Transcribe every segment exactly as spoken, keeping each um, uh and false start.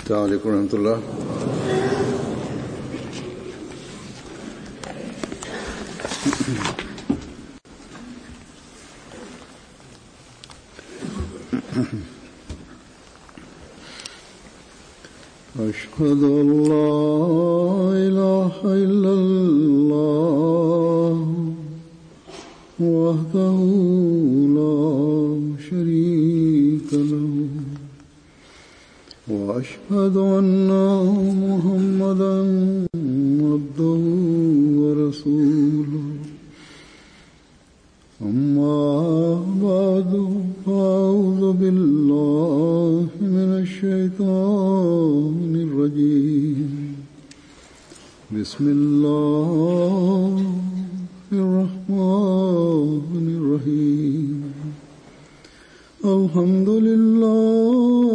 السلام عليكم ورحمة الله. أشهد أن لا إله إلا الله وحده لا شريك له وأشهد أن محمدا عبده ورسوله أما بعد فأعوذ بالله من الشيطان الرجيم بسم الله الرحمن الرحيم الحمد لله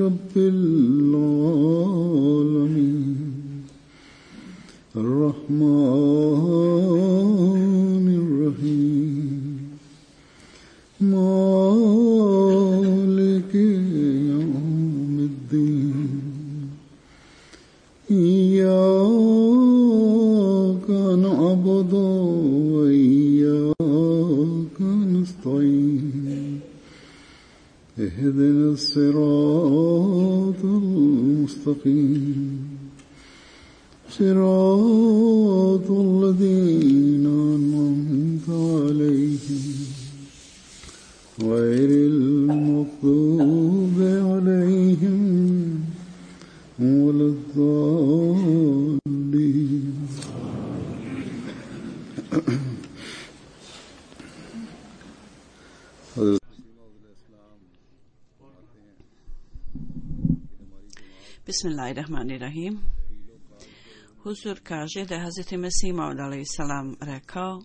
رب العالمين الرحمن الرحيم مالك يوم الدين إياك نعبد وإياك نستعين اهدنا الصراط المستقيم صراط الذين أنعمت عليهم غير المغضوب عليهم ولا الضالين. Bismillahirrahmanirrahim. Huzur kaže da je Hazreti Mesih Maud alejhi selam rekao: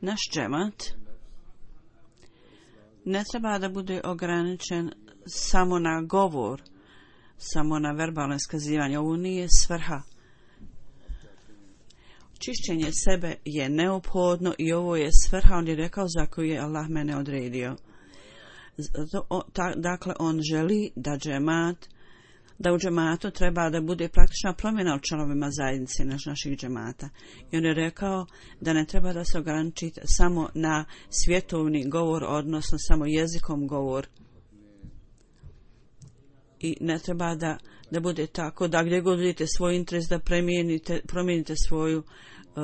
naš džemat ne treba da bude ograničen samo na govor, samo na verbalno iskazivanje. Ovo nije svrha. Čišćenje sebe je neophodno i ovo je svrha, on je rekao, za koju je Allah mene odredio. Dakle, on želi da džemat da u džematu treba da bude praktična promjena u članovima zajednice naš, naših džemata. I on je rekao da ne treba da se ograniči samo na svjetovni govor, odnosno samo jezikom govor. I ne treba da, da bude tako da gdje god vidite svoj interes da promijenite, promijenite svoju, uh,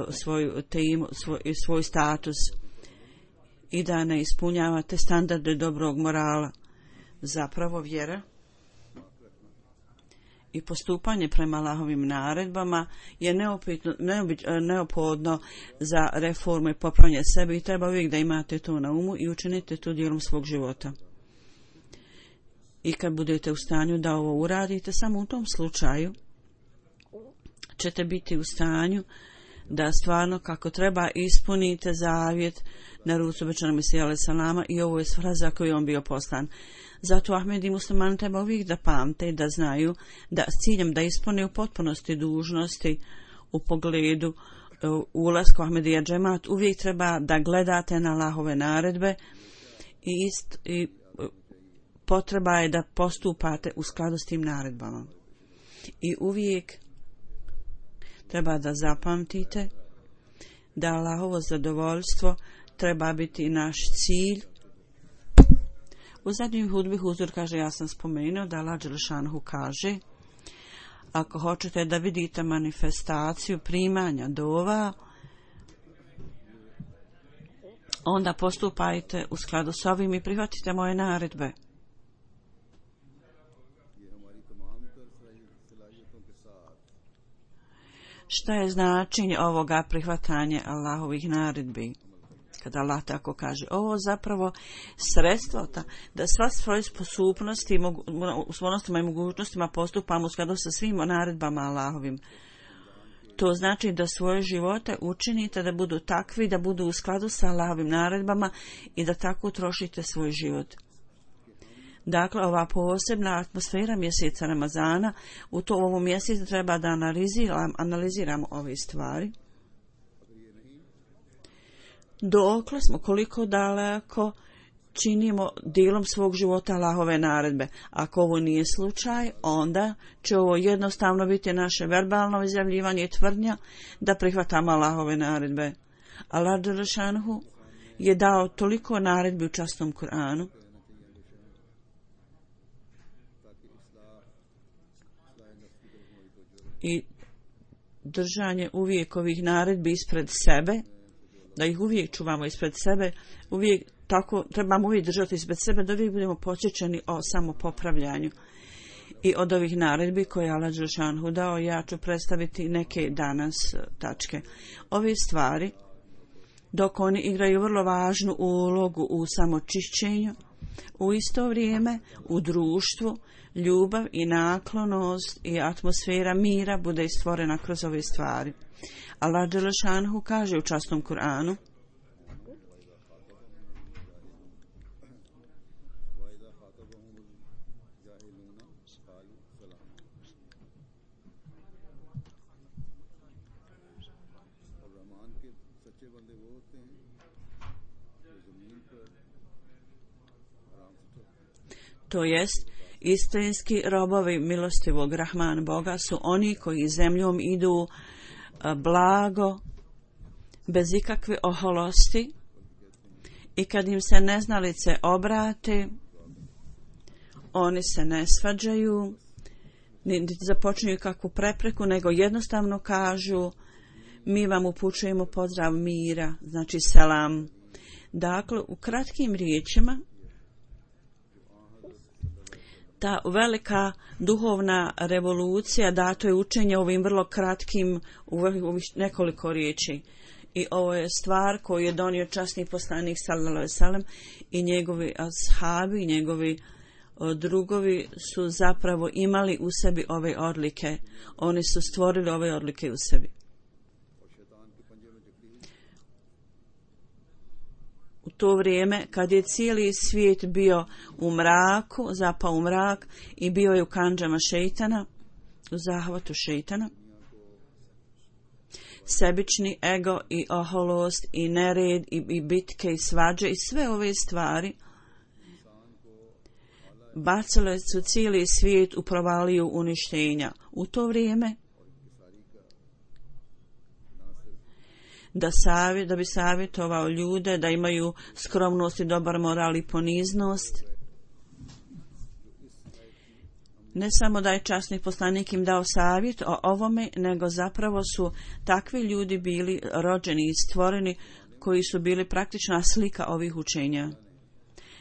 svoju temu, svoj, svoj status i da ne ispunjavate standarde dobrog morala. Zapravo vjera i postupanje prema Allahovim naredbama je neopitno, neophodno za reformu i popravljanje sebe i treba uvijek da imate to na umu i učinite to dijelom svog života. I kad budete u stanju da ovo uradite, samo u tom slučaju ćete biti u stanju da stvarno kako treba ispunite zavjet na rucu obećanog Mesija alejhi selama i ovo je svrha za koju on bio poslan. Zato Ahmed i muslimani treba uvijek da pamte i da znaju da s ciljem da ispune u potpunosti dužnosti u pogledu ulaska u Ahmedija džemat uvijek treba da gledate na Allahove naredbe i, ist, i potreba je da postupate u skladu s tim naredbama. I uvijek treba da zapamtite da Allahovo zadovoljstvo treba biti naš cilj. U zadnjoj hudbi Huzur kaže, ja sam spomenuo da Allah dželešanuhu kaže: ako hoćete da vidite manifestaciju primanja dova, onda postupajte u skladu s ovim i prihvatite moje naredbe. Šta je značenje ovoga prihvatanja Allahovih naredbi? Kada Allah tako kaže, ovo zapravo sredstvo ta, da sva svoje sposobnosti u svojnostima i mogućnostima postupamo u skladu sa svim naredbama Allahovim. To znači da svoje živote učinite da budu takvi, da budu u skladu sa Allahovim naredbama i da tako trošite svoj život. Dakle, ova posebna atmosfera mjeseca Ramazana, u to ovom mjesecu treba da analiziram, analiziramo ove stvari. Dokle smo, koliko daleko činimo dijelom svog života Allahove naredbe. Ako ovo nije slučaj, onda će ovo jednostavno biti naše verbalno izjavljivanje i tvrdnja da prihvatamo Allahove naredbe. Allah dželešanohu je dao toliko naredbi u časnom Kur'anu i držanje uvijek ovih naredbi ispred sebe, da ih uvijek čuvamo ispred sebe, uvijek tako trebamo uvijek držati ispred sebe da uvijek budemo podsjećani o samopopravljanju. I od ovih naredbi koje je Allah dželešanohu dao, ja ću predstaviti neke danas tačke. Ove stvari, dok oni igraju vrlo važnu ulogu u samočišćenju, u isto vrijeme u društvu ljubav i naklonost i atmosfera mira bude stvorena kroz ove stvari. Allah dželešanohu kaže u časnom Kur'anu: to jest istinski robovi milostivog Rahman Boga su oni koji zemljom idu blago, bez ikakve oholosti, i kad im se neznalice obrate, oni se ne svađaju, niti započinju kakvu prepreku, nego jednostavno kažu: mi vam upućujemo pozdrav mira, znači selam. Dakle, u kratkim riječima, ta velika duhovna revolucija dato je učenje ovim vrlo kratkim, u ovih nekoliko riječi. I ovo je stvar koju je donio časni poslanik sallallahu alejhi ve sellem i njegovi ashabi, njegovi drugovi su zapravo imali u sebi ove odlike. Oni su stvorili ove odlike u sebi. U to vrijeme kad je cijeli svijet bio u mraku, zapao u mrak i bio je u kandžama šejtana, u zahvatu šejtana, sebični ego i oholost i nered i, i bitke i svađe i sve ove stvari bacile su cijeli svijet u provaliju uništenja. U to vrijeme da, savjet, da bi savjetovao ljude da imaju skromnost i dobar moral i poniznost, ne samo da je časni poslanik im dao savjet o ovome, nego zapravo su takvi ljudi bili rođeni i stvoreni koji su bili praktična slika ovih učenja.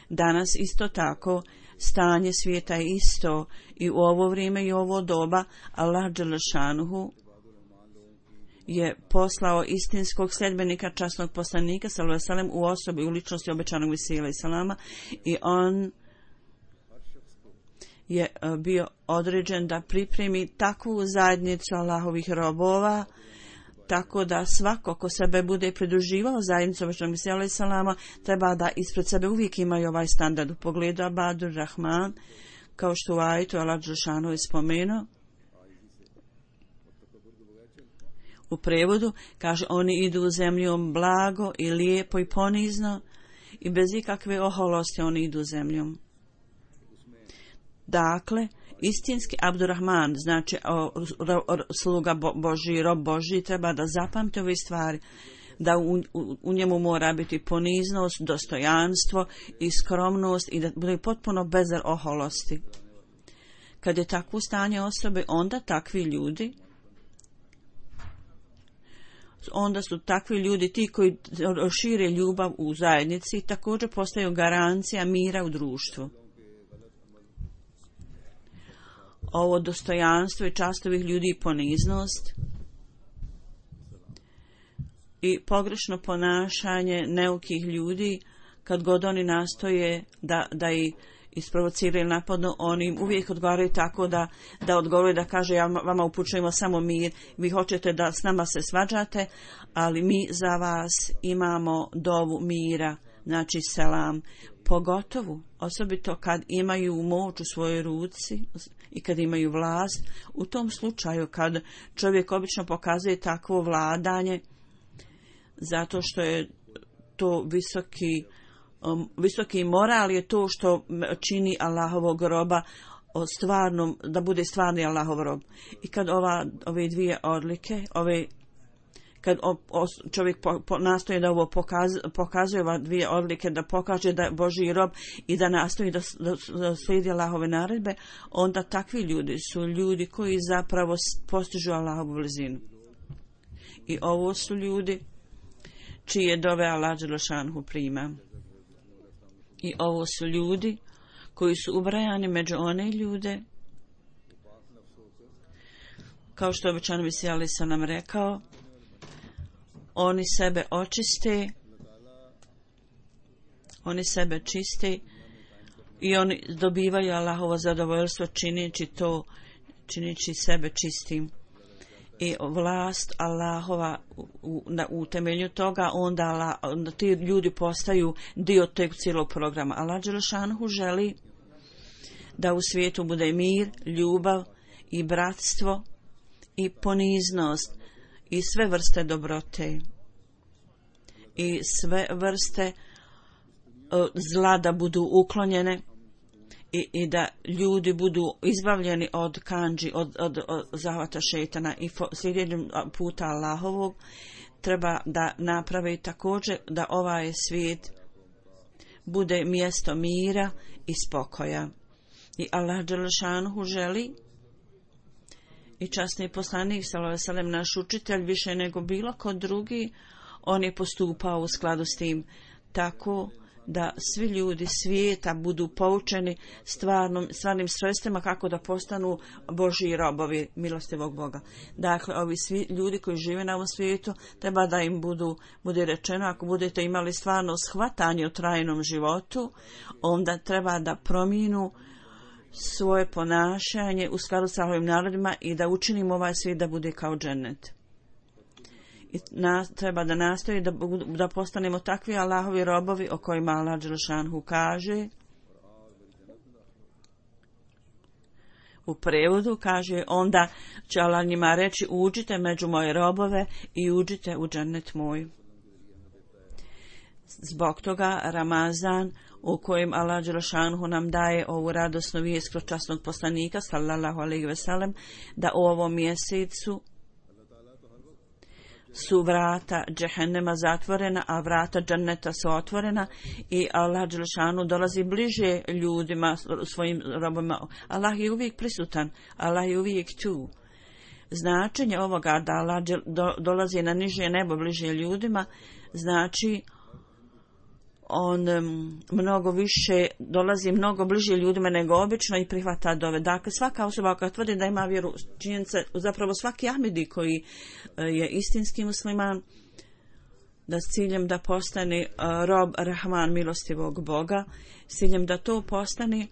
Danas isto tako stanje svijeta je isto i u ovo vrijeme i u ovo doba Allah dželešanuhu je poslao istinskog sljedbenika časnog poslanika sallallahu alejhi ve sellem u osobi u ličnosti obećanog Mesija alejhi selama i on je bio određen da pripremi takvu zajednicu Allahovih robova, tako da svako ko sebe bude pridruživao zajednicu obećanog Mesija alejhi selama treba da ispred sebe uvijek imaju ovaj standard u pogledu Abadur Rahman, kao što u ajetu Allah dželešanohu je spomenuo. U prevodu kaže: oni idu zemljom blago i lijepo i ponizno i bez ikakve oholosti oni idu zemljom. Dakle, istinski Abdurrahman, znači o, o, o, sluga Bo, Božji, rob Božji, treba da zapamte ove stvari, da u, u, u njemu mora biti poniznost, dostojanstvo i skromnost i da bude potpuno bez oholosti. Kad je takvo stanje osobe, onda takvi ljudi onda su takvi ljudi ti koji šire ljubav u zajednici i također postaju garancija mira u društvu. Ovo dostojanstvo i čast ovih ljudi i poniznost i pogrešno ponašanje neukih ljudi, kad god oni nastoje da, da i isprovociraju napadno, oni im uvijek odgovaraju tako da, da odgovaraju da kaže: ja vama upućujemo samo mir, vi hoćete da s nama se svađate, ali mi za vas imamo dovu mira, znači selam. Pogotovo, osobito kad imaju moć u svojoj ruci i kad imaju vlast, u tom slučaju kad čovjek obično pokazuje takvo vladanje, zato što je to visoki um, visoki moral je to što čini Allahovog roba o stvarnom, da bude stvarni Allahov rob. I kad ova, ove dvije odlike, ove kad o, o, čovjek po, po, nastoji da ovo pokaz, pokazuje ove dvije odlike, da pokaže da je Božji rob i da nastoji da, da, da slijedi Allahove naredbe, onda takvi ljudi su ljudi koji zapravo postižu Allahovu blizinu. I ovo su ljudi čije dove Allah dželešanhu prima. I ovo su ljudi koji su ubrajani među one ljude, kao što običan Mesija alejhi selam rekao, oni sebe očiste, oni sebe čiste i oni dobivaju Allahovo zadovoljstvo činići to, činići sebe čistim. I vlast Allahova u, na, u temelju toga, onda, Allah, onda ti ljudi postaju dio tog cijelog programa. Allah dželešanhu želi da u svijetu bude mir, ljubav i bratstvo i poniznost i sve vrste dobrote i sve vrste uh, zla da budu uklonjene i, i da ljudi budu izbavljeni od kandži, od, od, od zahvata šejtana i sljedećem puta Allahovog. Treba da napravi također da ovaj svijet bude mjesto mira i spokoja. I Allah dželešanhu želi, i časni poslanik sallallahu alejhi ve sellem, naš učitelj, više nego bilo ko drugi, on je postupao u skladu s tim, tako da svi ljudi svijeta budu poučeni stvarnom, stvarnim sredstvima kako da postanu Božji robovi milostivog Boga. Dakle, ovi svi ljudi koji žive na ovom svijetu, treba da im budu, bude rečeno, ako budete imali stvarno shvatanje o trajnom životu, onda treba da promijenu svoje ponašanje u skladu sa ovim narodima i da učinimo ovaj svijet da bude kao džennet. I na, treba da nastoji da, da postanemo takvi Allahovi robovi o kojima Allah dželešanhu kaže. U prevodu kaže, onda će Allah njima reći, uđite među moje robove i uđite u džennet moj. Zbog toga Ramazan, u kojem Allah dželešanhu nam daje ovu radosnu vijest kroz časnog poslanika sallallahu alejhi ve sellem, da u ovom mjesecu su vrata džehennema zatvorena, a vrata dženneta su otvorena i Allah dželešanu dolazi bliže ljudima, svojim robima. Allah je uvijek prisutan, Allah je uvijek tu. Značenje ovoga da Allah dolazi na niže nebo bliže ljudima, znači on um, mnogo više dolazi mnogo bliže ljudima nego obično i prihvata dove. Dakle, svaka osoba koja tvrdi da ima vjeru, činjenica, zapravo svaki Ahmedi koji uh, je istinski musliman, da s ciljem da postane uh, rob Rahman milostivog Boga, s ciljem da to postane,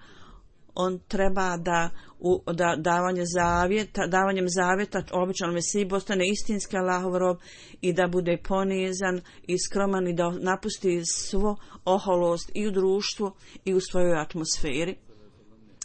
on treba da, u, da davanje zavjeta, davanjem zavjeta običnom Mesiji postane istinski Allahov rob i da bude ponizan i skroman i da napusti svo oholost i u društvu i u svojoj atmosferi,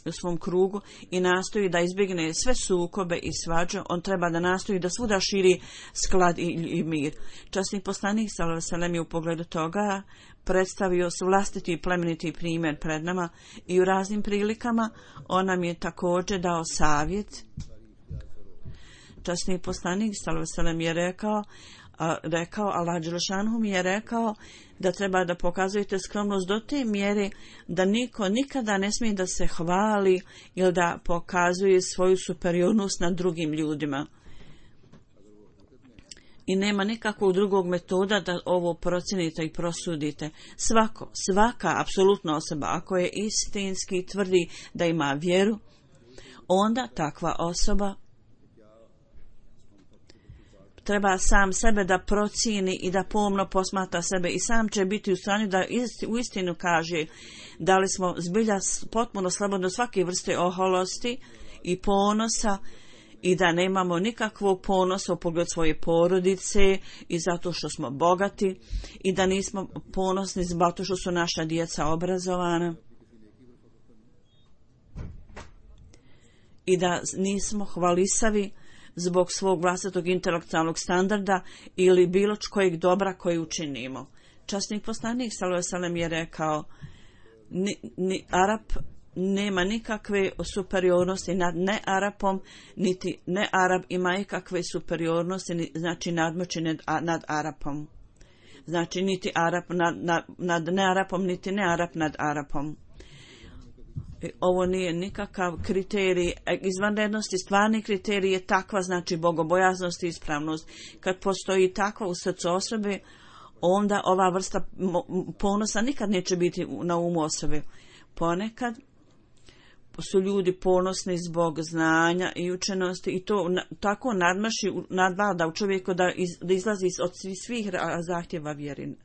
u svom krugu, i nastoji da izbjegne sve sukobe i svađe. On treba da nastoji da svuda širi sklad i, i mir. Časni poslanik sallallahu alejhi ve sellem je u pogledu toga predstavio vlastiti plemeniti primjer pred nama i u raznim prilikama on nam je također dao savjet. Časni poslanik sallallahu alejhi ve sellem je rekao, a, rekao Allah dželešanhu mi je rekao da treba da pokazujete skromnost do te mjere da niko nikada ne smije da se hvali ili da pokazuje svoju superiornost nad drugim ljudima. I nema nikakvog drugog metoda da ovo procenite i prosudite. Svako, svaka apsolutna osoba, ako je istinski tvrdi da ima vjeru, onda takva osoba treba sam sebe da procijeni i da pomno posmatra sebe i sam će biti u stanju da isti, u istinu kaže da li smo zbilja potpuno slobodni od svake vrste oholosti i ponosa i da nemamo nikakvog ponosa u pogledu svoje porodice i zato što smo bogati i da nismo ponosni zato što su naša djeca obrazovana i da nismo hvalisavi zbog svog vlastitog intelektualnog standarda ili bilo kojeg dobra koji učinimo. Časnik poslanik sallallahu alejhi ve sellem je rekao ni, ni Arap nema nikakve superiornosti nad ne Arapom, niti ne Arab ima ikakve superiornosti, ni, znači nadmoći nad, nad Arapom. Znači niti Arap nad, nad, nad ne Arapom, niti ne Arap nad Arapom. Ovo nije nikakav kriterij izvanrednosti, stvarni kriterij je takva, znači bogobojaznost i ispravnost. Kad postoji takva u srcu osobe, onda ova vrsta ponosa nikad neće biti na umu osobe. Ponekad su ljudi ponosni zbog znanja i učenosti i to na, tako nadmaši, nadvlada u čovjeku da, iz, da izlazi od svih, svih zahtjeva vjeri.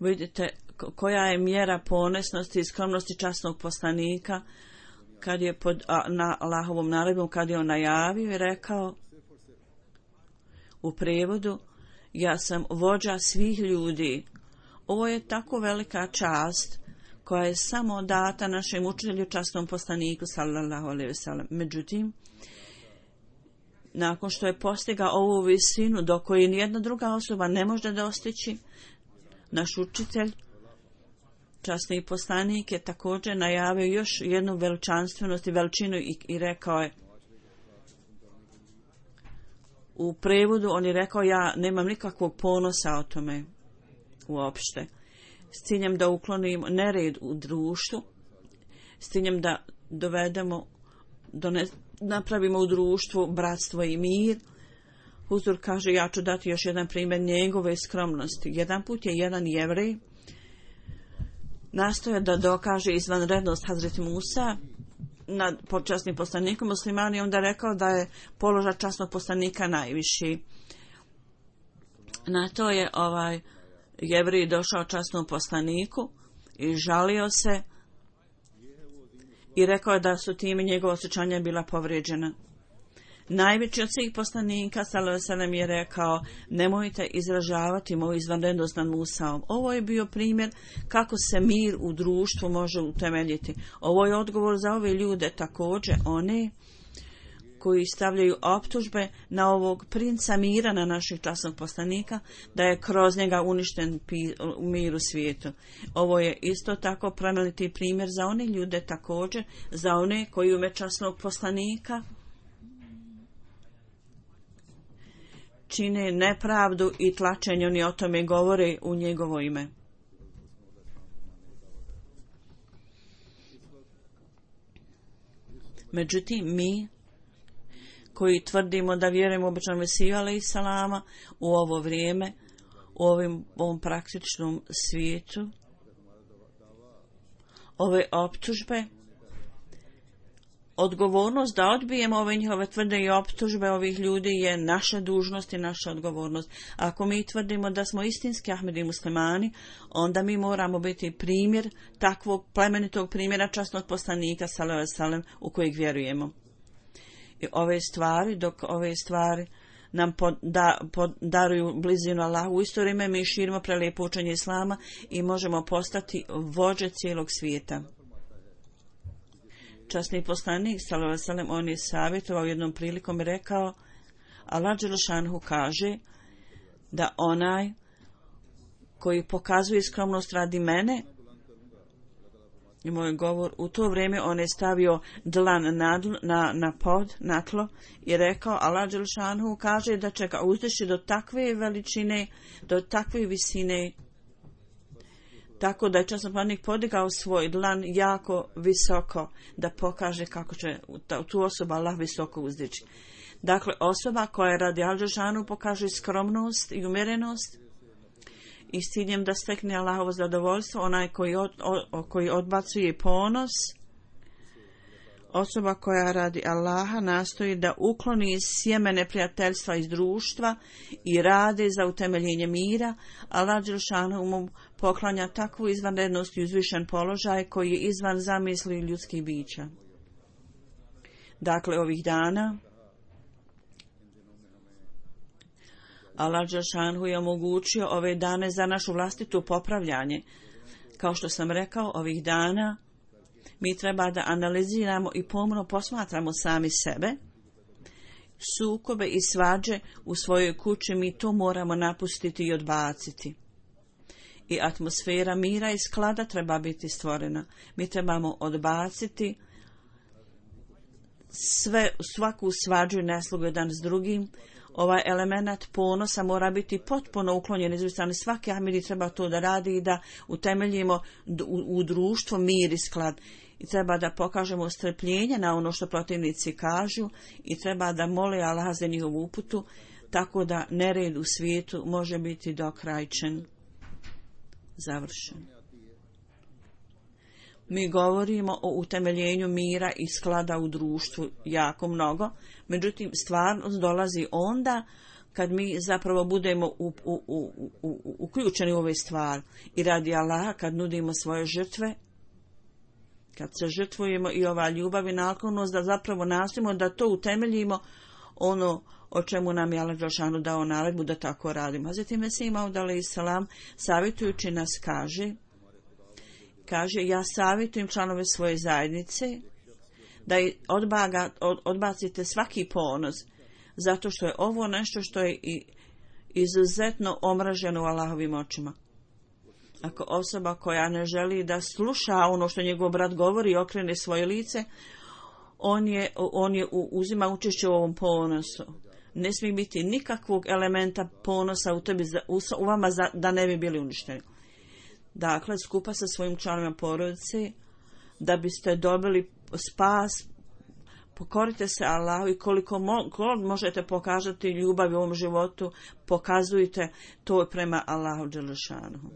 Vidite koja je mjera ponosnosti i skromnosti časnog poslanika kad je pod, a, na Allahovom naredbom, kad je on najavio i rekao u prijevodu: ja sam vođa svih ljudi. Ovo je tako velika čast koja je samo data našem učitelju časnom poslaniku sallallahu alejhi ve sellem. Međutim, nakon što je postigao ovu visinu do koje nijedna druga osoba ne može dostići, naš učitelj, časni poslanik, je također najavio još jednu veličanstvenost i veličinu i, i rekao je u prevodu, on je rekao: ja nemam nikakvog ponosa o tome uopšte, s ciljem da uklonimo nered u društvu, s ciljem da dovedemo, done, napravimo u društvu bratstvo i mir. Huzur kaže: ja ću dati još jedan primjer njegove skromnosti. Jedan put je jedan Jevrej nastoja da dokaže izvanrednost Hazreti Musa nad počasnim poslanikom muslimani, onda rekao da je položaj časnog poslanika najviši. Na to je ovaj Jevrej došao časnom poslaniku i žalio se i rekao da su time njegova osjećanja bila povrijeđena. Najveći od svih poslanika sallallahu alejhi ve sellem je rekao: nemojte izražavati moju izvanrednost nad Musaom. Ovo je bio primjer kako se mir u društvu može utemeljiti. Ovo je odgovor za ove ljude, također one koji stavljaju optužbe na ovog princa mira, na naših časnog poslanika, da je kroz njega uništen mir u svijetu. Ovo je isto tako plemeniti primjer za one ljude, također za one koji ume časnog poslanika čine nepravdu i tlačenje, oni o tome govore u njegovo ime. Međutim, mi koji tvrdimo da vjerujemo u običnom Mesiju alejhiselama u ovo vrijeme, u ovim, ovom praktičnom svijetu, ove optužbe, odgovornost da odbijemo ove njihove tvrde i optužbe ovih ljudi je naša dužnost i naša odgovornost. Ako mi tvrdimo da smo istinski Ahmedi muslimani, onda mi moramo biti primjer takvog plemenitog primjera časnog poslanika sallallahu alejhi ve sellem u kojeg vjerujemo. I ove stvari, dok ove stvari nam poda, podaruju blizinu Allahu, u isto vrijeme mi širimo prelijepo učenje Islama i možemo postati vođe cijelog svijeta. Časni poslanik sallallahu alejhi ve sellem, on je savjetovao jednom prilikom i rekao: Allah dželle šanhu kaže da onaj koji pokazuje skromnost radi mene, i moj govor, u to vrijeme on je stavio dlan na, na, na pod, na tlo i rekao: Allah dželle šanhu kaže da će ga uzdići do takve veličine, do takve visine, tako da je časni poslanik podigao svoj dlan jako visoko, da pokaže kako će tu osoba Allah visoko uzdići. Dakle, osoba koja radi al dželle šanhu pokaže skromnost i umjerenost i s ciljem da stekne Allahovo zadovoljstvo, onaj koji, od, o, koji odbacuje ponos, osoba koja radi Allaha nastoji da ukloni sjeme neprijateljstva iz društva i radi za utemeljenje mira, Allah dželle šanhu mu poklanja takvu izvanrednost i uzvišen položaj koji je izvan zamisli ljudskih bića. Dakle, ovih dana Allah dželle šanhu je omogućio ove dane za našu vlastitu popravljanje. Kao što sam rekao, ovih dana mi treba da analiziramo i pomno posmatramo sami sebe, sukobe i svađe u svojoj kući, mi to moramo napustiti i odbaciti. I atmosfera mira i sklada treba biti stvorena. Mi trebamo odbaciti sve, svaku svađu i neslogu jedan s drugim. Ovaj element ponosa mora biti potpuno uklonjen iz strane. Svaki Ahmedi treba to da radi i da utemeljimo u, u društvo mir i sklad. I treba da pokažemo strpljenje na ono što protivnici kažu i treba da mole Allah za njihovu uputu, tako da nered u svijetu može biti dokrajčen, završen. Mi govorimo o utemeljenju mira i sklada u društvu jako mnogo, međutim stvarnost dolazi onda kad mi zapravo budemo u, u, u, u, u, uključeni u ove stvari i radi Allaha, kad nudimo svoje žrtve, kad se žrtvujemo i ova ljubav i naklonost, da zapravo nastojimo da to utemeljimo ono o čemu nam je Allah dželešanu dao naredbu da tako radimo. Hazreti Mesih Maud alejhiselam savjetujući nas kaže, kaže ja savjetujem članove svoje zajednice da odbaga, od, odbacite svaki ponos, zato što je ovo nešto što je i izuzetno omraženo u Allahovim očima. Ako osoba koja ne želi da sluša ono što njegov brat govori i okrene svoje lice, on je, on je uzima učešće u ovom ponosu. Ne smije biti nikakvog elementa ponosa u tebi, u, u vama za, da ne bi bili uništeni. Dakle, skupa sa svojim članovima porodice, da biste dobili spas, pokorite se Allahu i koliko mo, koliko možete pokazati ljubav u ovom životu, pokazujte to prema Allahu dželešanuhu.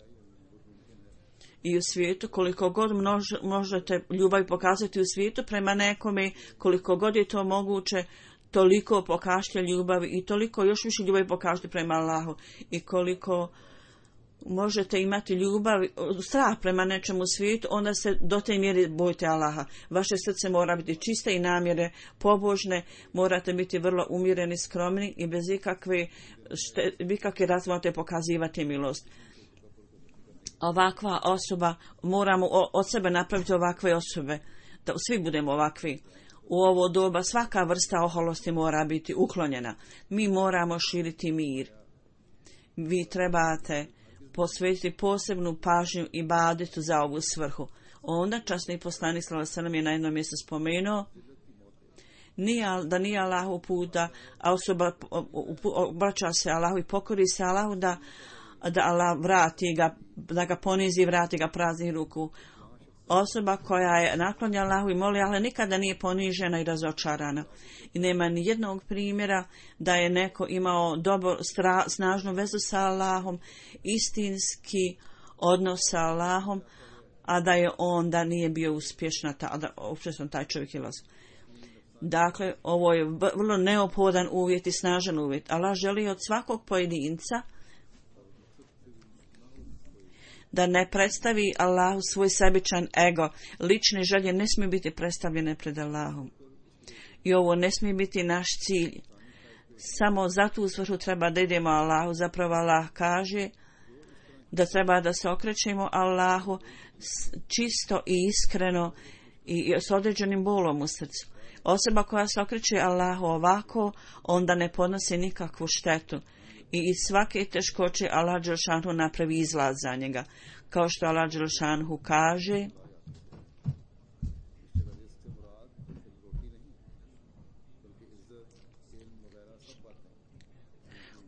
I u svijetu, koliko god množ, možete ljubav pokazati u svijetu prema nekome, koliko god je to moguće, toliko pokažite ljubavi i toliko još više ljubavi pokažite prema Allahu. I koliko možete imati ljubav, strah prema nečemu u svijetu, onda se do te mjere bojite Allaha. Vaše srce mora biti čiste i namjere pobožne, morate biti vrlo umjereni, skromni i bez ikakve, šte, ikakve razvojate pokazivati milost. Ovakva osoba, moramo od sebe napraviti ovakve osobe, da svi budemo ovakvi. U ovo doba svaka vrsta oholosti mora biti uklonjena. Mi moramo širiti mir. Vi trebate posvetiti posebnu pažnju i ibadetu za ovu svrhu. Onda časni poslanik sallallahu alejhi ve sellem je na jednom mjestu spomenuo nije, da nije Allahu put da osoba obraća se Allahu i pokori se Allahu, da da Allah vrati ga, da ga ponizi i vrati ga praznih ruku. Osoba koja je naklonja Allahu i moli Allah nikada nije ponižena i razočarana. I nema ni jednog primjera da je neko imao dobro, stra, snažnu vezu sa Allahom, istinski odnos sa Allahom, a da je on da nije bio uspješna, ta, da uopće taj čovjek je loš. Dakle, ovo je vrlo neophodan uvjet i snažan uvjet. Allah želi od svakog pojedinca da ne predstavi Allahu svoj sebičan ego. Lične želje ne smiju biti predstavljene pred Allahom. I ovo ne smije biti naš cilj. Samo za tu svrhu treba da idemo Allahu. Zapravo Allah kaže da treba da se okrećemo Allahu čisto i iskreno i s određenim bolom u srcu. Osoba koja se okreće Allahu ovako, onda ne podnosi nikakvu štetu. I iz svake teškoće Allah dželešanu napravi izlaz za njega. Kao što Allah dželešanu kaže,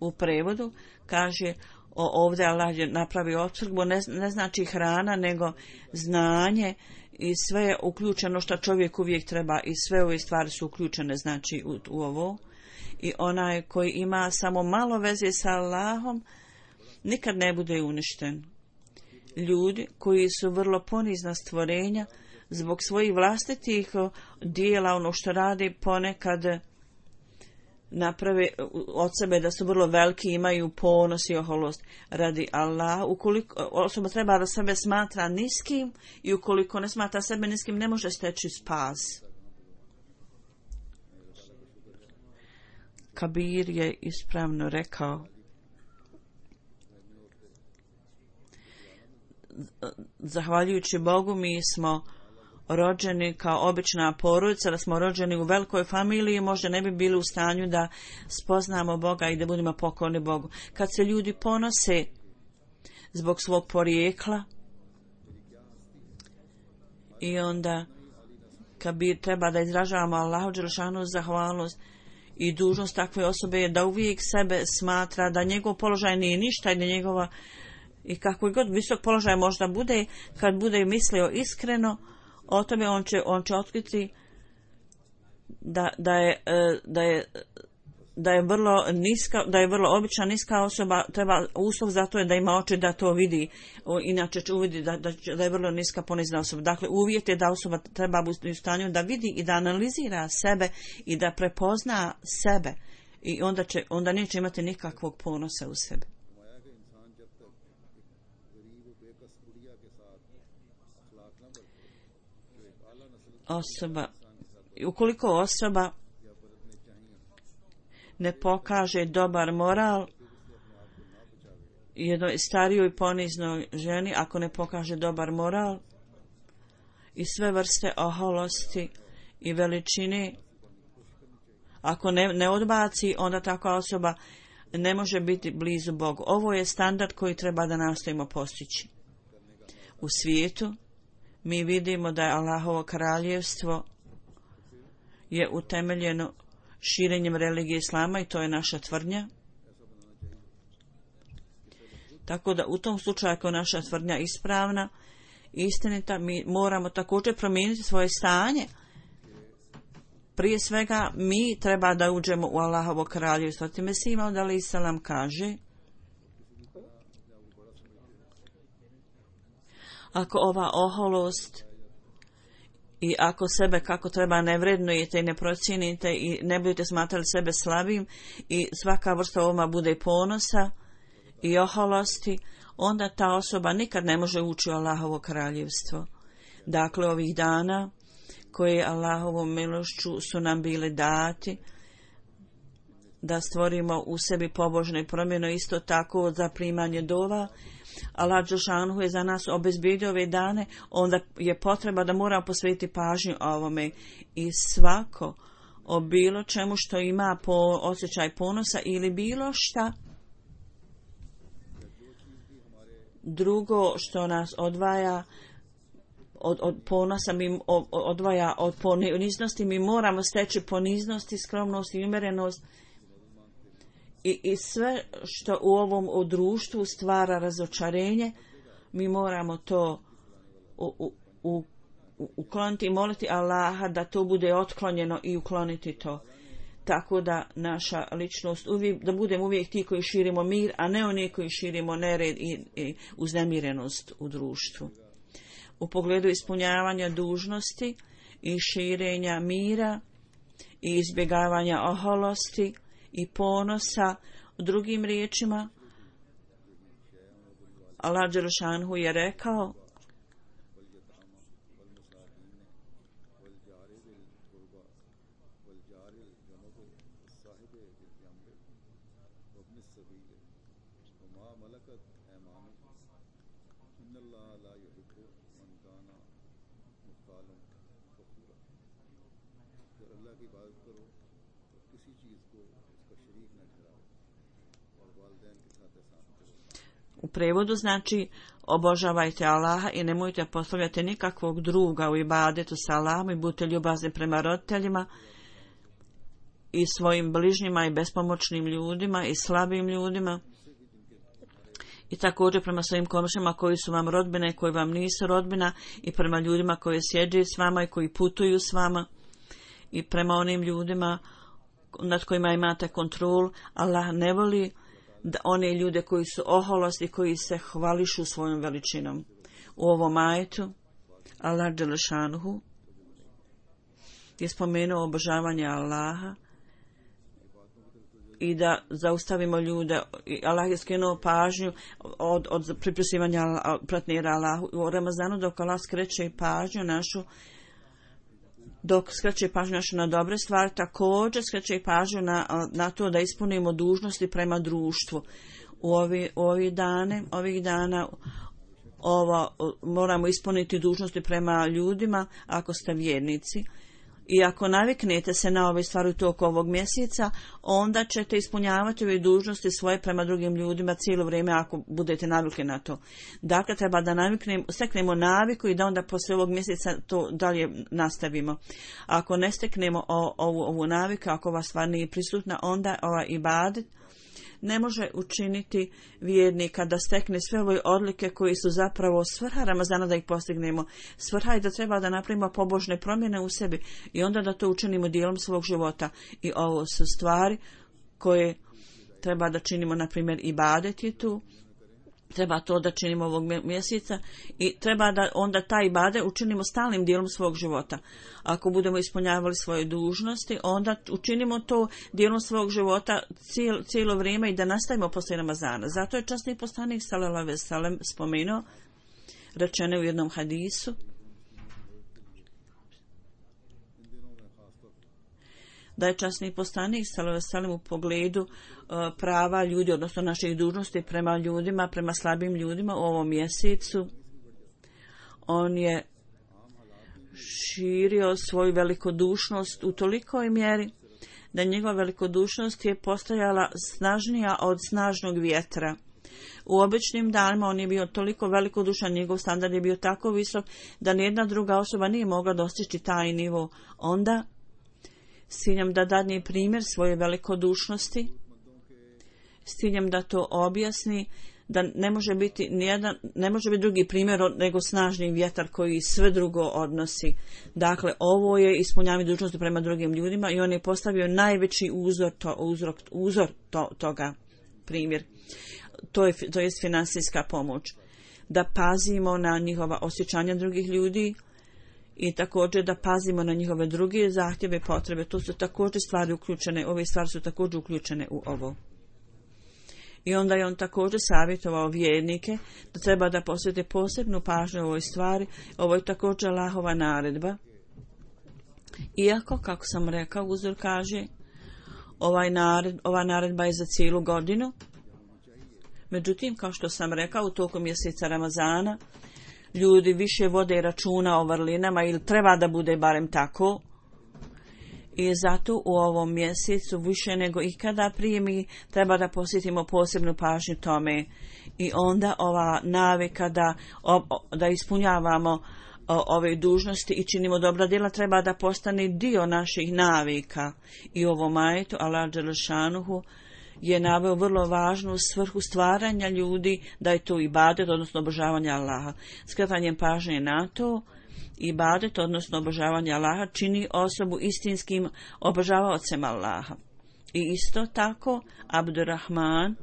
u prevodu kaže, o, ovdje Allah je napravio opskrbu, ne, ne znači hrana, nego znanje i sve je uključeno što čovjek uvijek treba i sve ove stvari su uključene znači u, u ovo. I onaj koji ima samo malo veze sa Allahom nikad ne bude uništen. Ljudi koji su vrlo ponizna stvorenja zbog svojih vlastitih dijela, ono što radi, ponekad naprave od sebe da su vrlo veliki, imaju ponos i oholost radi Allah. Ukoliko osoba treba da sebe smatra niskim i ukoliko ne smatra sebe niskim, ne može steći spas. Kabir je ispravno rekao, zahvaljujući Bogu mi smo rođeni kao obična porodica, da smo rođeni u velikoj familiji, možda ne bi bili u stanju da spoznamo Boga i da budemo pokorni Bogu. Kad se ljudi ponose zbog svog porijekla i onda kad bi treba da izražavamo Allahu dželešanu zahvalnost i dužnost takve osobe je da uvijek sebe smatra da njegov položaj nije ništa i da njegova i kako god visok položaj možda bude, kad bude mislio iskreno o tome, on će, on će otkriti da, da, je, da, je, da je vrlo niska, da je vrlo obična niska osoba. Treba uslov za to je da ima oči da to vidi, inače će uvidi da, da, da je vrlo niska ponizna osoba. Dakle, uvjet je da osoba treba biti u stanju da vidi i da analizira sebe i da prepozna sebe i onda, će, onda neće imati nikakvog ponosa u sebi. Osoba, ukoliko osoba ne pokaže dobar moral jednoj starijoj poniznoj ženi, ako ne pokaže dobar moral i sve vrste oholosti i veličine, ako ne, ne odbaci, onda takva osoba ne može biti blizu Bogu. Ovo je standard koji treba da nastojimo postići. U svijetu mi vidimo da je Allahovo kraljevstvo je utemeljeno širenjem religije islama i to je naša tvrdnja. Tako da u tom slučaju ako je naša tvrdnja ispravna, istinita, mi moramo također promijeniti svoje stanje. Prije svega mi treba da uđemo u Allahovo kraljevstvo. Time se Imam alejhi selam kaže: ako ova oholost i ako sebe kako treba ne vrednujete i ne procijenite i ne budete smatrali sebe slabim i svaka vrsta ovoma bude ponosa i oholosti, onda ta osoba nikad ne može ući u Allahovo kraljevstvo. Dakle, ovih dana koje Allahovom milošću su nam bile dati da stvorimo u sebi pobožne promjene, isto tako za primanje dova. Allah dželešanu je za nas obezbijedio ove dane, onda je potreba da moramo posvetiti pažnju ovome i svako o bilo čemu što ima po osjećaj ponosa ili bilo šta drugo što nas odvaja od, od ponosa, mi odvaja od poniznosti, mi moramo steći poniznost i skromnost i umjerenost i, i sve što u ovom u društvu stvara razočarenje, mi moramo to u, u, u, ukloniti i moliti Allaha da to bude otklonjeno i ukloniti to. Tako da naša ličnost, uvijek, da budemo uvijek ti koji širimo mir, a ne oni koji širimo nered i, i uznemirenost u društvu. U pogledu ispunjavanja dužnosti i širenja mira i izbjegavanja oholosti i ponosa, drugim riječima, Allah dželešanu je rekao: u prevodu znači obožavajte Allaha i nemojte postavljati nikakvog druga u ibadetu sa Allahom i budite ljubazni prema roditeljima i svojim bližnjima i bespomoćnim ljudima i slabim ljudima i također prema svojim komšijama koji su vam rodbine i koji vam nisu rodbina i prema ljudima koji sjeđaju s vama i koji putuju s vama i prema onim ljudima nad kojima imate kontrol. Allah ne voli da one ljude koji su oholosti, koji se hvališu svojom veličinom. U ovom ajetu Allah dželešanuhu je spomenuo obožavanje Allaha i da zaustavimo ljude. Allah je skrenuo pažnju od, od pripisivanja partnera Allahu. U Ramazanu dok Allah skreće pažnju našu dok skreće pažnju našu na dobre stvari, također skreće pažnju na, na to da ispunimo dužnosti prema društvu. U ovi, u ovi dane, ovih dana ovo, moramo ispuniti dužnosti prema ljudima ako ste vjernici. I ako naviknete se na ove stvari u toku ovog mjeseca, onda ćete ispunjavati ove dužnosti svoje prema drugim ljudima cijelo vrijeme ako budete navikli na to. Dakle, treba da naviknemo, steknemo naviku i da onda poslije ovog mjeseca to dalje nastavimo. Ako ne steknemo o, ovu, ovu naviku, ako ova stvar nije prisutna, onda ova ibadet ne može učiniti vjernika da stekne sve ove odlike koji su zapravo svrha Ramazana da ih postignemo. Svrha je da treba da napravimo pobožne promjene u sebi i onda da to učinimo dijelom svog života. I ovo su stvari koje treba da činimo, na primjer ibadet je tu. Treba to da činimo ovog mjeseca i treba da onda taj ibadet učinimo stalnim dijelom svog života. Ako budemo ispunjavali svoje dužnosti, onda učinimo to dijelom svog života cijelo, cijelo vrijeme i da nastavimo poslije Ramazana. Zato je časni poslanik sallallahu alejhi ve sellem spomenuo, rečeno u jednom hadisu, da je časni poslanik sallallahu alejhi ve sellem u pogledu uh, prava ljudi, odnosno naših dužnosti prema ljudima, prema slabim ljudima u ovom mjesecu, on je širio svoju velikodušnost u tolikoj mjeri da njegova velikodušnost je postajala snažnija od snažnog vjetra. U običnim danima on je bio toliko velikodušan, njegov standard je bio tako visok da nijedna druga osoba nije mogla dostići taj nivo. Onda s ciljem da dadne primjer svoje velikodušnosti, s ciljem da to objasni, da ne može biti nijedan, ne može biti drugi primjer nego snažni vjetar koji sve drugo odnosi. Dakle, ovo je ispunjavanje dužnosti prema drugim ljudima i on je postavio najveći uzor, to, uzor, uzor to, toga primjer. To je, to je finansijska pomoć. Da pazimo na njihova osjećanja drugih ljudi, i također da pazimo na njihove druge zahtjeve i potrebe. To su također stvari uključene, ove stvari su također uključene u ovo. I onda je on također savjetovao vjernike da treba da posvete posebnu pažnju ovoj stvari. Ovo je također Allahova naredba. Iako, kako sam rekao, uzor kaže, ovaj nared, ova naredba je za cijelu godinu. Međutim, kao što sam rekao, u toku mjeseca Ramazana ljudi više vode računa o vrlinama ili treba da bude barem tako. I zato u ovom mjesecu više nego ikada prije mi treba da posjetimo posebnu pažnju tome. I onda ova navika da, da ispunjavamo ove dužnosti i činimo dobra djela treba da postane dio naših navika. I u ovom ajetu Allah dželešanuhu je naveo vrlo važnu svrhu stvaranja ljudi, da je to ibadet, odnosno obožavanje Allaha. Skretanjem pažnje na to, ibadet, odnosno obožavanje Allaha, čini osobu istinskim obožavaocem Allaha. I isto tako, Abdurrahman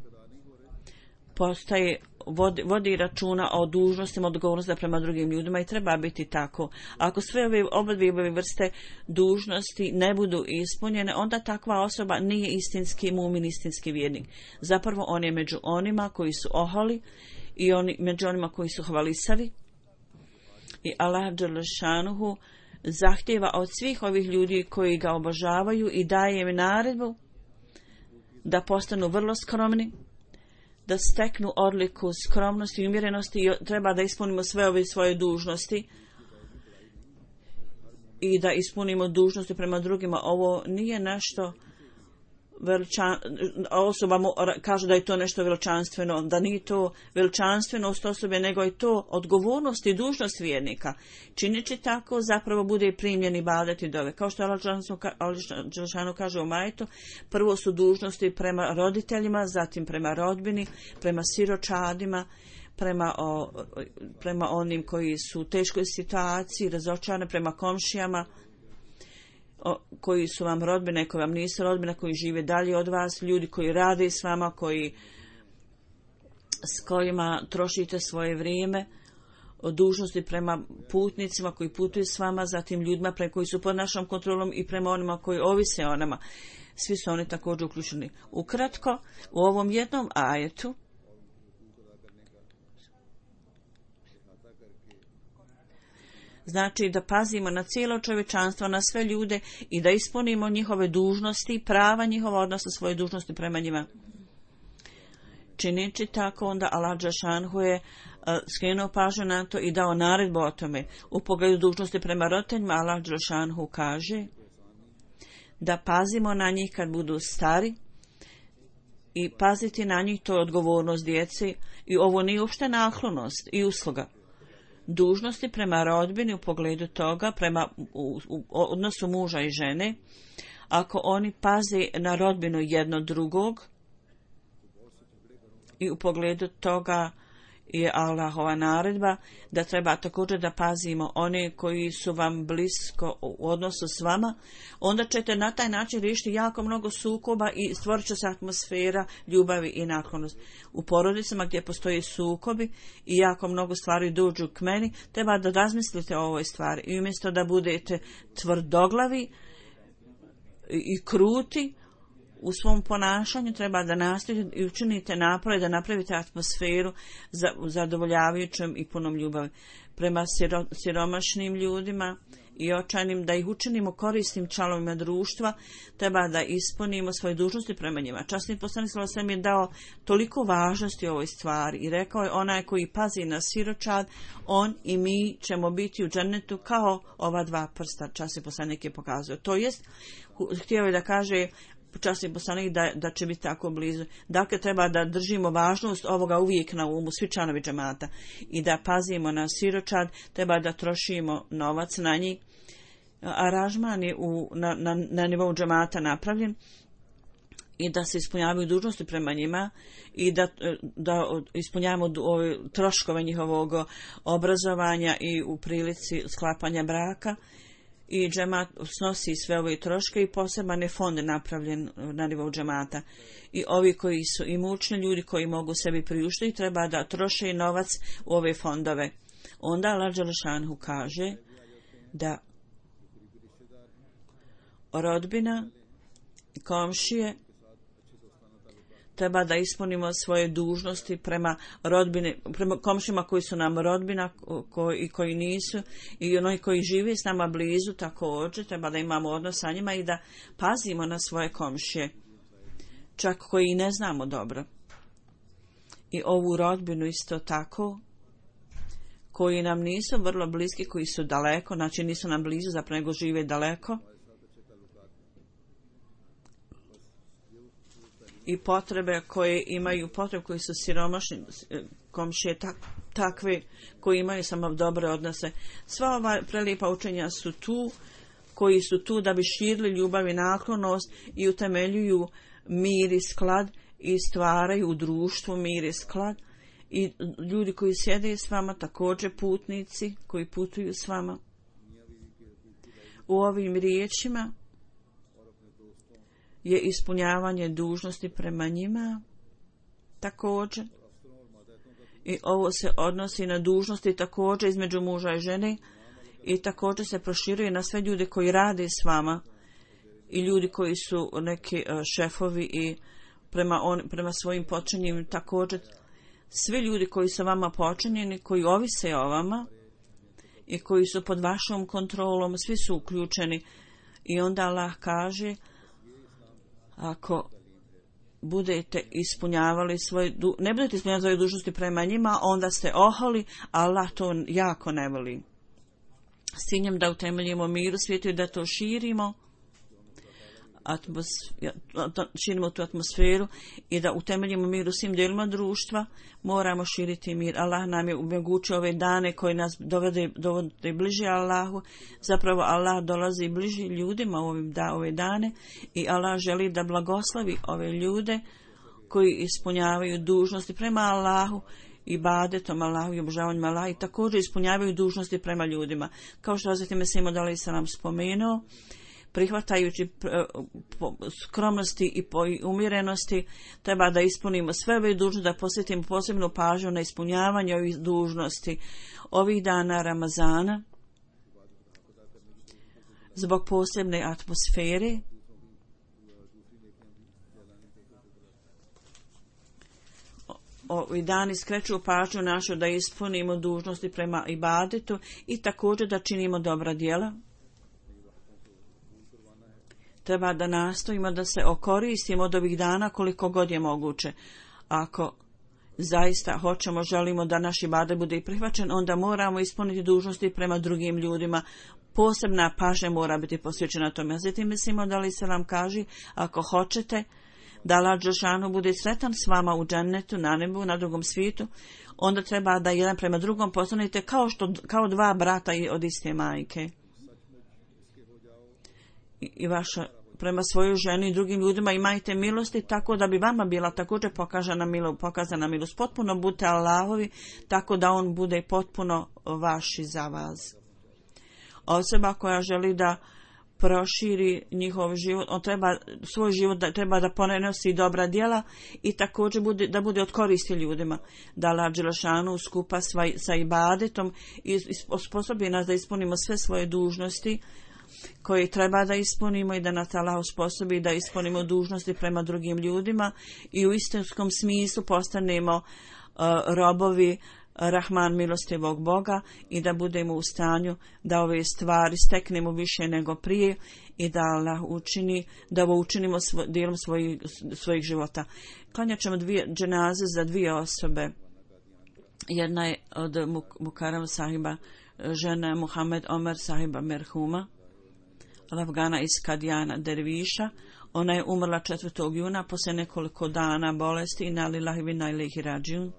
postaje, vodi, vodi računa o dužnostima, odgovornostima prema drugim ljudima i treba biti tako. Ako sve ove obadve vrste dužnosti ne budu ispunjene, onda takva osoba nije istinski mumin, istinski vjernik. Zapravo on je među onima koji su oholi i oni, među onima koji su hvalisavi. I Allah dželešanuhu zahtjeva od svih ovih ljudi koji ga obožavaju i daje im naredbu da postanu vrlo skromni, da steknu odliku skromnosti i umjerenosti i treba da ispunimo sve ove svoje dužnosti i da ispunimo dužnosti prema drugima. Ovo nije nešto veličan, osoba mu kaže da je to nešto veličanstveno, da nije to veličanstvenost osobe, nego je to odgovornost i dužnost vjernika. Čineći tako zapravo bude primljen ibadet i dove. Kao što Allah dželešanu kaže u majetu, prvo su dužnosti prema roditeljima, zatim prema rodbini, prema siročadima, prema, o, prema onim koji su u teškoj situaciji, razočarani, prema komšijama, koji su vam rodbine, koji vam nisu rodbine, koji žive dalje od vas, ljudi koji rade s vama, koji, s kojima trošite svoje vrijeme, dužnosti prema putnicima koji putuju s vama, zatim ljudima pre koji su pod našom kontrolom i prema onima koji ovise o nama. Svi su oni također uključeni. Ukratko, u ovom jednom ajetu znači da pazimo na cijelo čovječanstvo, na sve ljude i da ispunimo njihove dužnosti, prava njihova, odnosno svoje dužnosti prema njima. Čineći tako, onda Allah dželešanuhu je skrenuo pažnju na to i dao naredbu o tome. U pogledu dužnosti prema roditeljima, Allah dželešanu kaže da pazimo na njih kad budu stari i paziti na njih, to je odgovornost djece i ovo nije uopšte naklonost i usluga. Dužnosti prema rodbini u pogledu toga, prema u, u odnosu muža i žene, ako oni paze na rodbinu jedno drugog i u pogledu toga je Allahova naredba da treba također da pazimo one koji su vam blisko u odnosu s vama, onda ćete na taj način riješiti jako mnogo sukoba i stvorit će se atmosfera ljubavi i naklonosti. U porodicama gdje postoji sukobi i jako mnogo stvari dođu k meni, treba da razmislite o ovoj stvari i umjesto da budete tvrdoglavi i kruti u svom ponašanju, treba da nastojite i učinite napore da napravite atmosferu za zadovoljavajućom i punom ljubavi prema siro, siromašnim ljudima i očajnim, da ih učinimo korisnim članovima društva. Treba da ispunimo svoje dužnosti prema njima. Časni poslanik sallallahu alejhi ve sellem je dao toliko važnosti ovoj stvari i rekao je: onaj koji pazi na siročad, on i mi ćemo biti u džennetu kao ova dva prsta. Časni poslanik je pokazao. To jest, htio je da kaže časni poslanik da, da će biti tako blizu. Dakle, treba da držimo važnost ovoga uvijek na umu, svi članovi džemata, i da pazimo na siročad, treba da trošimo novac na njih. Aranžman je u, na, na, na nivou džemata napravljen i da se ispunjavaju dužnosti prema njima i da, da ispunjavamo ove troškove njihovog obrazovanja i u prilici sklapanja braka. I džemat snosi sve ove troške i poseban je fond napravljen na nivou džemata. I ovi koji su imućni ljudi koji mogu sebi priuštiti treba da troše novac u ove fondove. Onda Allah dželešanu kaže da rodbina, komšije, treba da ispunimo svoje dužnosti prema rodbine, prema komšima koji su nam rodbina koji, i koji nisu, i oni koji žive s nama blizu također, treba da imamo odnos sa njima i da pazimo na svoje komšije, čak koji ne znamo dobro. I ovu rodbinu isto tako, koji nam nisu vrlo bliski, koji su daleko, znači nisu nam blizu, zapravo nego žive daleko, i potrebe koje imaju, potrebe koji su siromašni komšije, tak, takve koji imaju samo dobre odnose. Sva ova prelijepa učenja su tu, koji su tu da bi širili ljubav i naklonost i utemeljuju mir i sklad i stvaraju u društvu mir i sklad. I ljudi koji sjede s vama, također putnici koji putuju s vama. U ovim riječima je ispunjavanje dužnosti prema njima također. I ovo se odnosi na dužnosti također između muža i žene i također se proširuje na sve ljude koji rade s vama i ljudi koji su neki šefovi i prema, on, prema svojim počinjenjima također. Svi ljudi koji su vama počinjeni, koji ovise o vama i koji su pod vašom kontrolom, svi su uključeni. I onda Allah kaže: ako budete ispunjavali svoje, ne budete ispunjavali svoje dužnosti prema njima, onda ste oholi, Allah to jako ne voli. S ciljem da utemeljimo mir u svijetu i da to širimo, atmos, širimo tu atmosferu i da utemeljimo mir u svim dijelima društva, moramo širiti mir. Allah nam je omogućio ove dane koji nas dovode, dovode bliže Allahu. Zapravo Allah dolazi bliže ljudima u ovim da, ove dane i Allah želi da blagoslovi ove ljude koji ispunjavaju dužnosti prema Allahu, ibadetom Allahu i obožavanjem Allaha, i također ispunjavaju dužnosti prema ljudima. Kao što Hazreti Mesih Maud alejhi selam spomenuo, prihvatajući skromnosti i umjerenosti, treba da ispunimo sve ove dužnosti, da posvetimo posebnu pažnju na ispunjavanje ovih dužnosti ovih dana Ramazana zbog posebne atmosfere. Ovi dani skreću pažnju našu da ispunimo dužnosti prema ibadetu i također da činimo dobra djela. Treba da nastojimo da se okoristimo od ovih dana koliko god je moguće. Ako zaista hoćemo, želimo da naš ibadet bude i prihvaćen, onda moramo ispuniti dužnosti prema drugim ljudima. Posebna pažnja mora biti posvećena tome. Zatim mislimo da li se vam kaže, ako hoćete da Allah dželešanu bude sretan s vama u džennetu, na nebu, na drugom svijetu, onda treba da jedan prema drugom postanete kao, što, kao dva brata od iste majke. I, i vaša prema svojoj ženi i drugim ljudima imajte milosti tako da bi vama bila također pokazana milost, pokazana milost. Potpuno budete Allahovi tako da on bude potpuno vaš i za vas. Osoba koja želi da proširi njihov život, on treba svoj život da, treba da ponenosi dobra djela i također bude, da bude od koristi ljudima. Da Allah dželešanu skupa sva, sa ibadetom i osposobi nas da ispunimo sve svoje dužnosti koje treba da ispunimo i da nas Allah osposobi da ispunimo dužnosti prema drugim ljudima i u istinskom smislu postanemo uh, robovi Rahman milostivog Boga i da budemo u stanju da ove stvari steknemo više nego prije i da Allah učini, da ovo učinimo svo, dijelom svojih, svojih života. Klanjat ćemo dvije dženaze za dvije osobe. Jedna je od Mukarram sahiba, žena je Muhammed Omer sahiba merhuma, Afgana iz Kadijana derviša. Ona je umrla četvrtog juna poslije nekoliko dana bolesti i na lillahi wa inna ilaihi rađiun.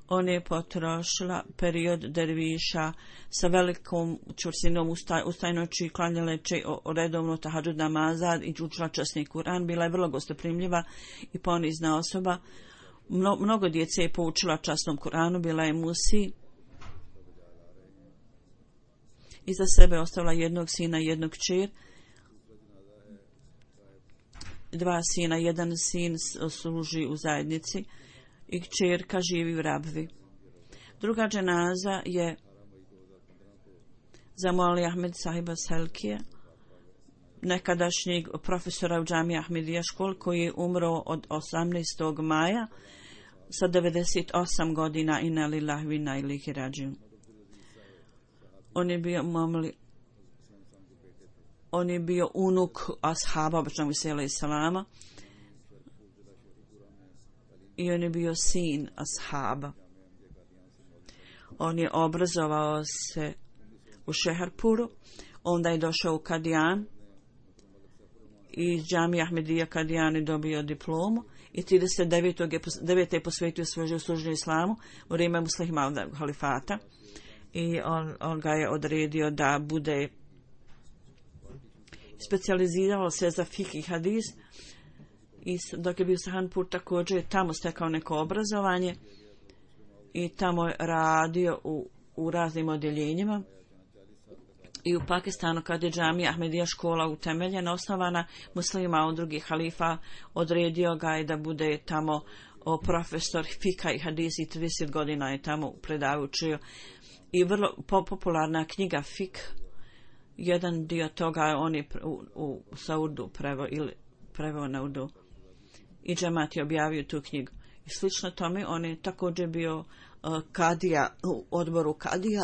On je potrošila period derviša sa velikom čvrstinom ustaj, ustajnoći, klanjaleći redovno tahadžud namaza i učila časni Kur'an. Bila je vrlo gostoprimljiva i ponizna osoba. Mno, mnogo djece je poučila časnom Kur'anu, bila je musi. Iza sebe ostavila jednog sina i jednog kćer. Dva sina, jedan sin služi u zajednici i kćerka živi u Rabvi. Druga dženaza je za Muali Ahmed sahiba Selkije, nekadašnjeg profesora u džamiji Ahmedija škol, koji je umro od osamnaestog maja sa devedeset osam godina. Inna lillahi wa inna ilaihi rađiun. On je bio mamli, on je bio unuk ashaba običnog sela i salama i on je bio sin ashaba. On je obrazovao se u Šeherpuru, onda je došao u Kadijan i iz džamije Ahmedija Kadijan je dobio diplomu i trideset devete je posvetio svoj služenju islamu u vrijeme muslimskog halifata. I on, on ga je odredio da bude specijalizirao se za fik i hadis i dok je bio Sahanpur također je tamo stekao neko obrazovanje i tamo je radio u, u raznim odjeljenjima. I u Pakistanu kad je džamija Ahmedija škola utemeljena, osnovana, muslima od drugih halifa odredio ga je da bude tamo o, profesor fika i hadis i trideset godina je tamo predavao, učio. I vrlo popularna knjiga Fik, jedan dio toga on je u, u, sa Urdu preveo ili preveo na Urdu i džemat je objavio tu knjigu. I slično tome on je također bio uh, kadija u odboru kadija.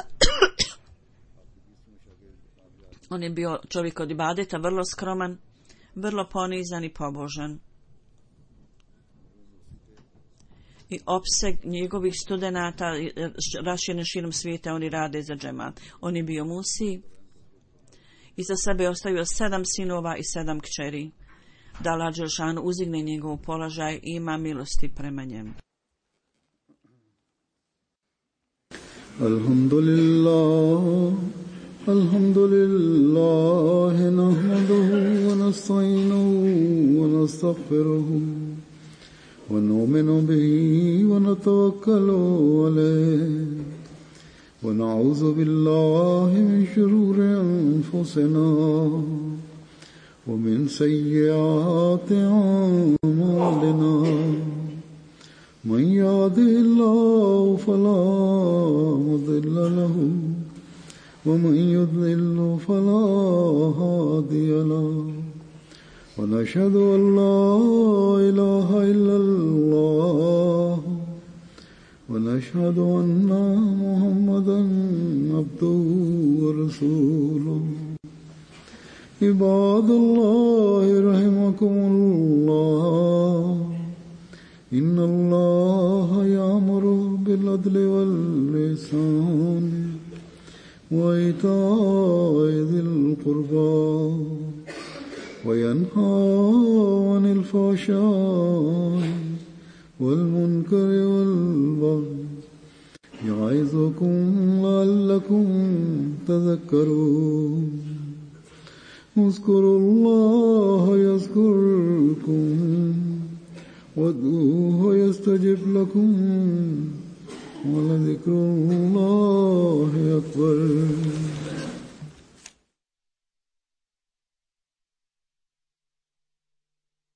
On je bio čovjek od ibadeta, vrlo skroman, vrlo ponizan i pobožan. I opseg njegovih studenata raširjen širom svijeta, oni rade za džemat. On je bio musi i za sebe ostavio sedam sinova i sedam kćeri. Da Allah dželešanu uzigne njegov položaj i ima milosti prema njemu. Alhamdulillah, alhamdulillah, nahmaduhu wa nasta'inuhu wa nastaghfiruhu. ونؤمن به ونتوكل عليه ونعوذ بالله من شرور أنفسنا ومن سيئات أعمالنا من يهده الله فلا مضل له ومن يضلل فلا هادي له ونشهد أن لا إله إلا الله ونشهد أن محمدا عبده ورسوله عباد الله رحمكم الله إن الله يأمر بالعدل والإحسان وإيتاء ذي القربى وينهى عن الفحشاء والمنكر والبغي يعظكم لعلكم تذكرون اذكروا الله يذكركم وادعوه يستجب لكم ولذكر الله أكبر.